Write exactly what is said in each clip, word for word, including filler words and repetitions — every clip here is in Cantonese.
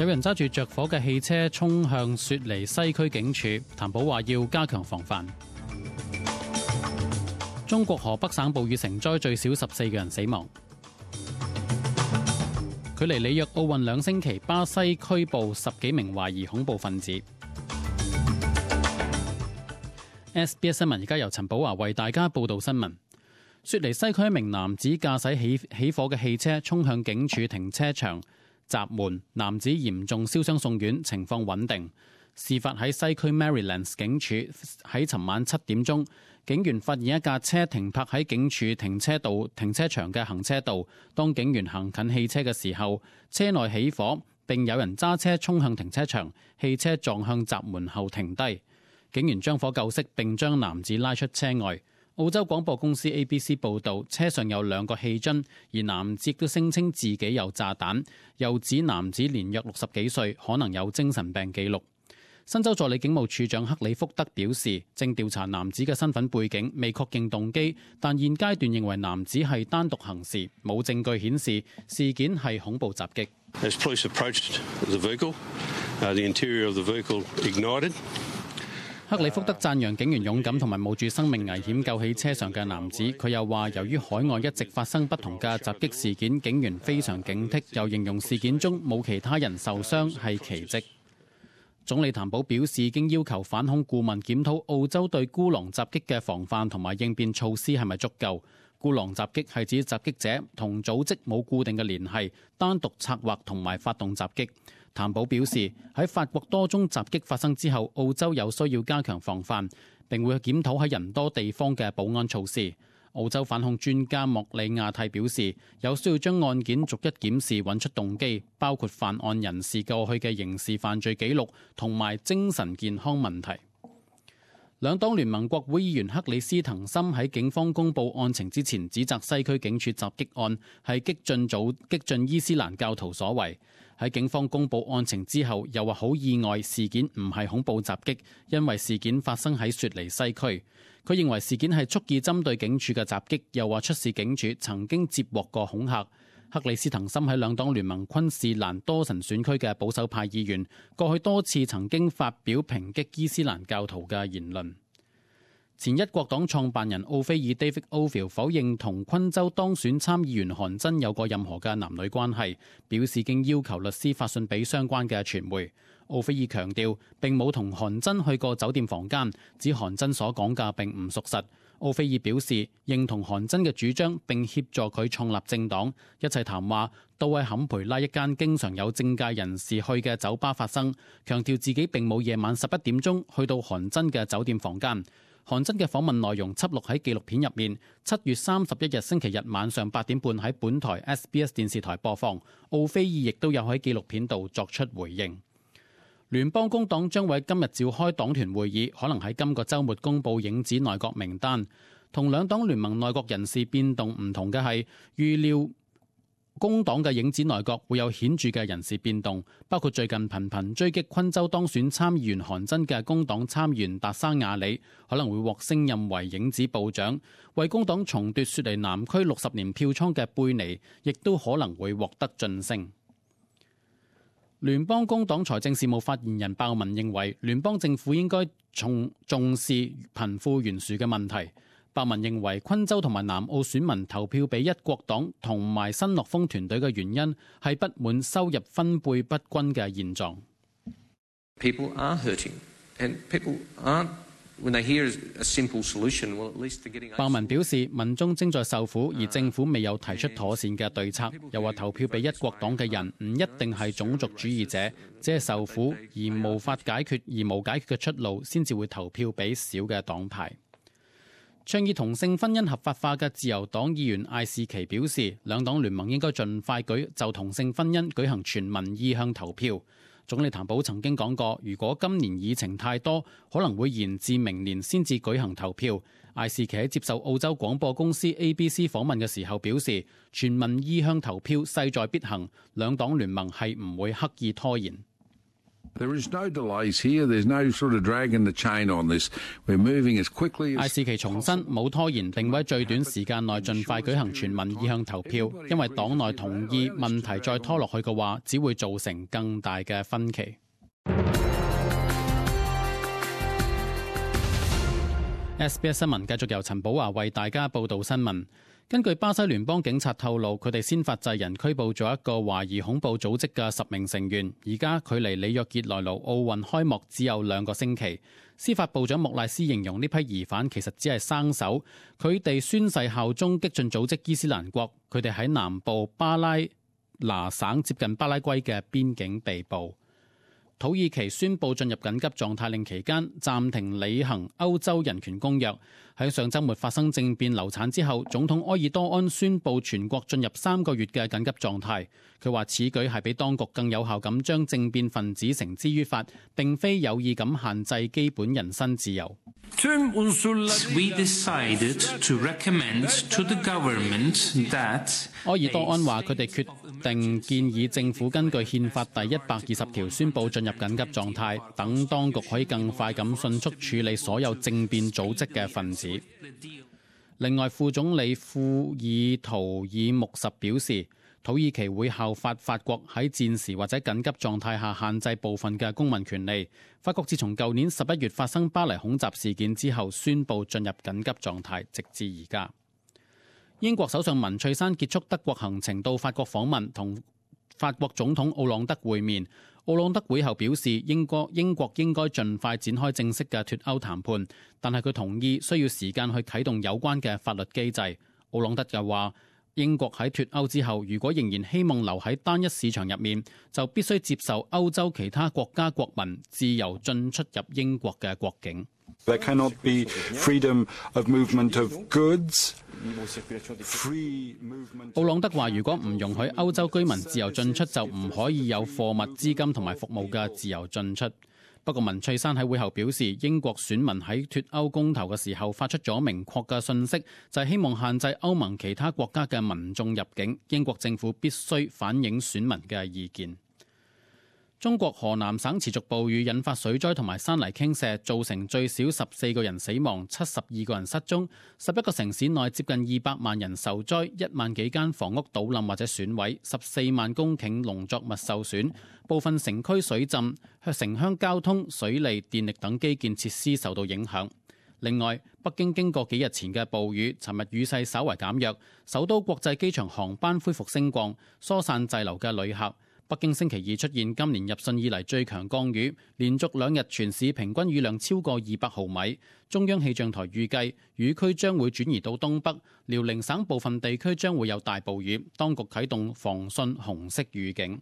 有人揸住着火嘅汽車衝向雪梨西區警署，譚寶話要加強防範。中國河北省暴雨成災，最少十四個人死亡。距離里約奧運兩星期，巴西拘捕十幾名懷疑恐怖分子。S B S 新聞而家由陳寶華為大家報道新聞。雪梨西區一名男子駕駛起起火嘅汽車衝向警署停車場，閘門，男子嚴重燒傷送院，情況穩定。事發喺西區 Marylands 警署，喺尋晚七點鐘，警員發現一架車停泊喺警署停車道停車場嘅行車道。當警員行近汽車嘅時候，車內起火，並有人揸車衝向停車場，汽車撞向閘門後停低。警員將火救熄，並將男子拉出車外。澳洲廣播公司 A B C 報導，車上有兩個氣樽，而男子亦都聲稱自己有炸彈，又指男子年約六十幾歲，可能有精神病記錄。新州助理警務處長克里福德表示，正調查男子嘅身份背景，未確認動機，但現階段認為男子係單獨行事，冇證據顯示事件係恐怖襲擊。As police approached the vehicle, uh, the interior of the vehicle ignited. 克里福德讚揚警員勇敢同埋冒住生命危險救起車上嘅男子。佢又話，由於海外一直發生不同嘅襲擊事件，警員非常警惕，又形容事件中冇其他人受傷係奇蹟。總理譚寶表示，已經要求反恐顧問檢討澳洲對孤狼襲擊嘅防範同埋應變措施係咪足夠。孤狼襲擊係指襲擊者同組織冇固定嘅聯繫，單獨策劃同埋發動襲擊。譚寶表示，喺法國多宗襲擊發生之後，澳洲有需要加強防範，並會檢討喺人多地方嘅保安措施。澳洲反恐專家莫里亞蒂表示，有需要將案件逐一檢視，揾出動機，包括犯案人士過去嘅刑事犯罪記錄同埋精神健康問題。兩黨聯盟國會議員克里斯滕森喺警方公佈案情之前，指責西區警署襲擊案係激進組激進伊斯蘭教徒所為。喺警方公佈案情之後，又話好意外事件唔係恐怖襲擊，因為事件發生喺雪梨西區。佢認為事件係蓄意針對警署嘅襲擊，又話出事警署曾經接獲過恐嚇。克里斯滕森喺兩黨聯盟昆士蘭多神選區嘅保守派議員，過去多次曾經發表抨擊伊斯蘭教徒嘅言論。前一國黨創辦人奧菲爾 David Ovill 否認同昆州當選參議員韓真有過任何嘅男女關係，表示經要求律師發信俾相關嘅傳媒。奧菲爾強調並冇同韓真去過酒店房間，指韓真所講嘅並唔屬實。奧菲爾表示認同韓真嘅主張，並協助佢創立政黨。一切談話都喺坎培拉一間經常有政界人士去嘅酒吧發生，強調自己並冇夜晚十一點鐘去到韓真嘅酒店房間。韓真嘅訪問內容輯錄喺紀錄片入面。七月三十一日星期日晚上八點半喺本台 S B S 電視台播放。奧菲爾亦都有喺紀錄片度作出回應。聯邦工黨將會今日召開黨團會議，可能喺今個週末公佈影子內閣名單。同兩黨聯盟內閣人事變動唔同嘅係，預料工黨嘅影子內閣會有顯著嘅人事變動，包括最近頻頻追擊昆州當選參議員韓真嘅工黨參議員達沙亞里可能會獲升任為影子部長，為工黨重奪雪梨南區六十年票倉嘅貝尼亦都可能會獲得晉升。聯邦工黨財政事務發言人鮑文認為，聯邦政府應該重重視貧富懸殊嘅問題。鮑文認為，昆州同埋南澳選民投票俾一國黨同埋新樂豐團隊嘅原因係不滿收入分配不均嘅現狀。People are hurting, and people aren't when they hear a simple solution. Well, at least they're getting. 鮑文表示，民眾正在受苦，而政府未有提出妥善嘅對策。又話投票俾一國黨嘅人唔一定係種族主義者，只係受苦而無法解決而無解決嘅出路，先至會投票俾小嘅黨派。倡議同性婚姻合法化嘅自由黨議員艾士奇表示，兩黨聯盟應該盡快舉就同性婚姻舉行全民意向投票。總理譚寶曾經講過，如果今年議程太多，可能會延至明年先至舉行投票。艾士奇喺接受澳洲廣播公司 A B C 訪問嘅時候表示，全民意向投票勢在必行，兩黨聯盟係唔會刻意拖延。艾士奇重申冇拖延，並會喺最短時間內盡快舉行全民意向投票，因為黨內同意問題再拖落去嘅話，只會造成更大嘅分歧。S B S 新聞繼續由陳寶華為大家報道新聞。根據巴西聯邦警察透露，佢哋先發制人拘捕咗一個懷疑恐怖組織嘅十名成員。而家距離里約熱內盧奧運開幕只有兩個星期。司法部長莫賴斯形容呢批疑犯其實只係生手，佢哋宣誓效忠激進組織伊斯蘭國。佢哋喺南部巴拉那省接近巴拉圭嘅邊境被捕。土耳其宣布進入緊急狀態令期間，暫停履行歐洲人權公約。喺上週末發生政變流產之後，總統埃爾多安宣布全國進入三個月嘅緊急狀態。佢話此舉係比當局更有效咁將政變分子繩之於法，並非有意咁限制基本人身自由。We decided to recommend to the government that 埃爾多安話佢哋決定建議政府根據憲法第一百二十條宣布進入緊急狀態，等當局可以更快咁迅速處理所有政變組織嘅分子。另外，副總理庫爾圖爾穆什表示，土耳其會效法法國喺戰時或者緊急狀態下限制部分嘅公民權利。法國自從舊年十一月發生巴黎恐襲事件之後，宣布進入緊急狀態，直至而家。英國首相文翠珊結束德國行程到法國訪問，同法國總統奧朗德會面。奧朗德會後表示，英國英國應該盡快展開正式嘅脫歐談判，但係佢同意需要時間去啟動有關嘅法律機制。奧朗德又話，英國喺脫歐之後，如果仍然希望留喺單一市場入面，就必須接受歐洲其他國家國民自由進出入英國嘅國境。There cannot be freedom of movement of goods. 奧朗德話，如果唔容許歐洲居民自由進出，就唔可以有貨物、資金同埋服務嘅自由進出。不過文翠珊喺會後表示，英國選民喺脫歐公投嘅時候發出咗明確嘅訊息，就係希望限制歐盟其他國家嘅民眾入境。英國政府必須反映選民嘅意見。中國河南省持續暴雨引發水災同埋山泥傾瀉，造成最少十四個人死亡、七十二個人失蹤。十一個城市內接近二百萬人受災，一萬幾間房屋倒冧或者損毀，十四萬公頃農作物受損，部分城區水浸，城鄉交通、水利、電力等基建設施受到影響。另外，北京經過幾日前嘅暴雨，尋日雨勢稍為減弱，首都國際機場航班恢復升降，疏散滯留嘅旅客。北京星期二出現今年入汛以嚟最強降雨，連續兩日全市平均雨量超過二百毫米。中央氣象台預計雨區將會轉移到東北，遼寧省部分地區將會有大暴雨，當局啟動防汛紅色預警。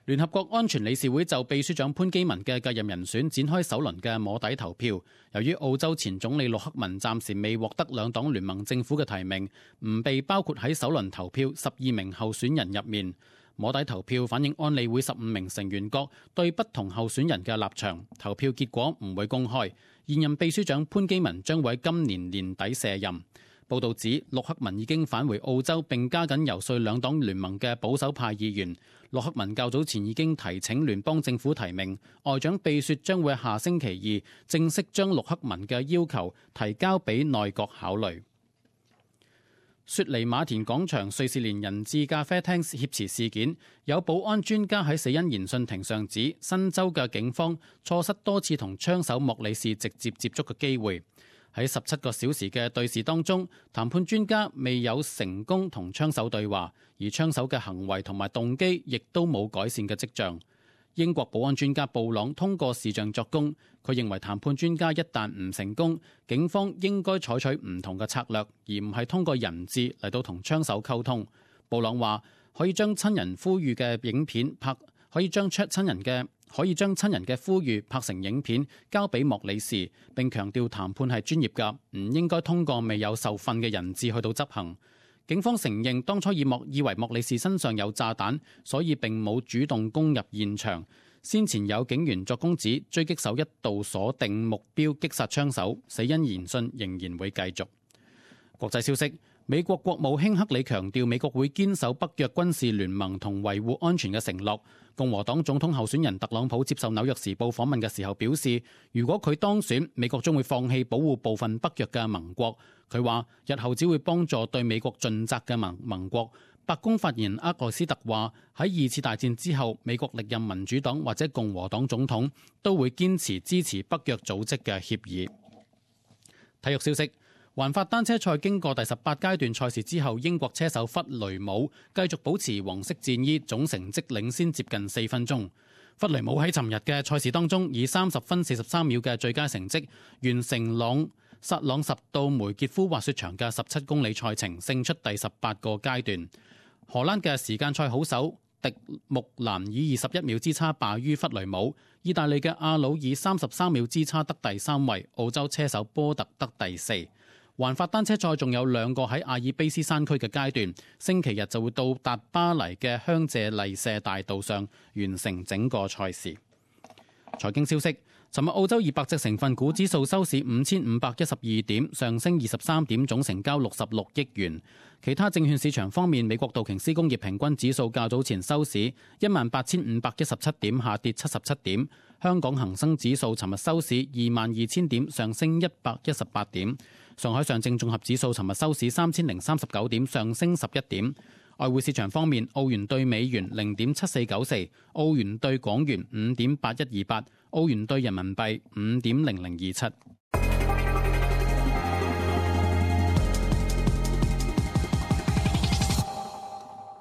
聯合國安全理事會就秘書長潘基文嘅繼任人選展開首輪嘅摸底投票。由於澳洲前總理陸克文暫時未獲得兩黨聯盟政府嘅提名，唔被包括喺首輪投票十二名候選人入面。摸底投票反映安理會十五名成員國對不同候選人嘅立場，投票結果唔會公開。現任秘書長潘基文將會喺今年年底卸任。報道指，陸克文已經返回澳洲，並加緊游說兩黨聯盟嘅保守派議員。陸克文較早前已經提請聯邦政府提名，外長秘書將會下星期二正式將陸克文嘅要求提交俾內閣考慮。雪梨馬田廣場瑞士連人質咖啡廳挾持事件，有保安專家喺死因研訊庭上指，新州嘅警方錯失多次同槍手莫里士直接接觸嘅機會。喺十七個小時嘅對峙當中，談判專家未有成功同槍手對話，而槍手嘅行為同埋動機亦都冇改善嘅跡象。英國保安專家布朗通過視像作供，佢認為談判專家一旦唔成功，警方應該採取唔同嘅策略，而唔係通過人質嚟到同槍手溝通。布朗話可以將親人呼籲嘅影片拍，可以將出親人嘅可以將親人嘅呼籲拍成影片交俾莫里士，並強調談判係專業㗎，唔應該通過未有受訓嘅人質去到執行。警方承認當初以莫以為莫里士身上有炸彈，所以並冇主動攻入現場。先前有警員作供指，狙擊手一度鎖定目標擊殺槍手。死因研訊仍然會繼續。國際消息，美國國務卿克里強調，美國會堅守北約軍事聯盟同維護安全嘅承諾。共和黨總統候選人特朗普接受紐約時報訪問嘅時候表示，如果佢當選，美國將會放棄保護部分北約嘅盟國。佢話日後只會幫助對美國盡責嘅盟盟國。白宮發言人厄萊斯特話，喺二次大戰之後，美國歷任民主黨或者共和黨總統都會堅持支持北約組織嘅協議。體育消息。環法單車賽經過第十八階段賽事之後，英國車手弗雷姆繼續保持黃色戰衣，總成績領先接近四分鐘。弗雷姆喺尋日嘅賽事當中，以三十分四十三秒嘅最佳成績，完成朗薩朗什到梅傑夫滑雪場嘅十七公里賽程，勝出第十八個階段。荷蘭嘅時間賽好手迪木蘭以二十一秒之差敗於弗雷姆，意大利嘅阿魯以三十三秒之差得第三位，澳洲車手波特得第四。環法單車賽仲有兩個喺阿爾卑斯山區嘅階段，星期日就會到達巴黎嘅香榭麗舍大道上完成整個賽事。財經消息，尋日澳洲二百隻成分股指數收市五千五百一十二點，上升二十三點，總成交六十六億元。其他證券市場方面，美國道瓊斯工業平均指數較早前收市一萬八千五百一十七點，下跌七十七點。香港恒生指數尋日收市二萬二千點，上升一百一十八點。上海上證綜合指數尋日收市三千零三十九點，上升十一點。外匯市場方面，澳元對美元零點七四九四，澳元對港元五點八一二八，澳元對人民幣五點零零二七。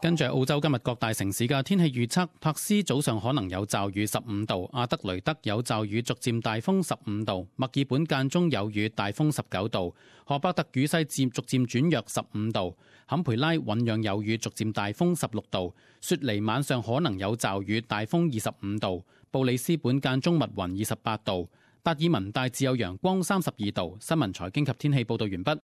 跟住澳洲今日各大城市嘅天氣預測，柏斯早上可能有驟雨十五度，阿德雷德有驟雨逐漸大風十五度，墨爾本間中有雨大風十九度，荷伯特雨勢漸逐漸轉弱十五度，坎培拉醞釀有雨逐漸大風十六度，雪梨晚上可能有驟雨大風二十五度，布里斯本間中密雲二十八度，達爾文大致有陽光三十二度。新聞財經及天氣報導完畢。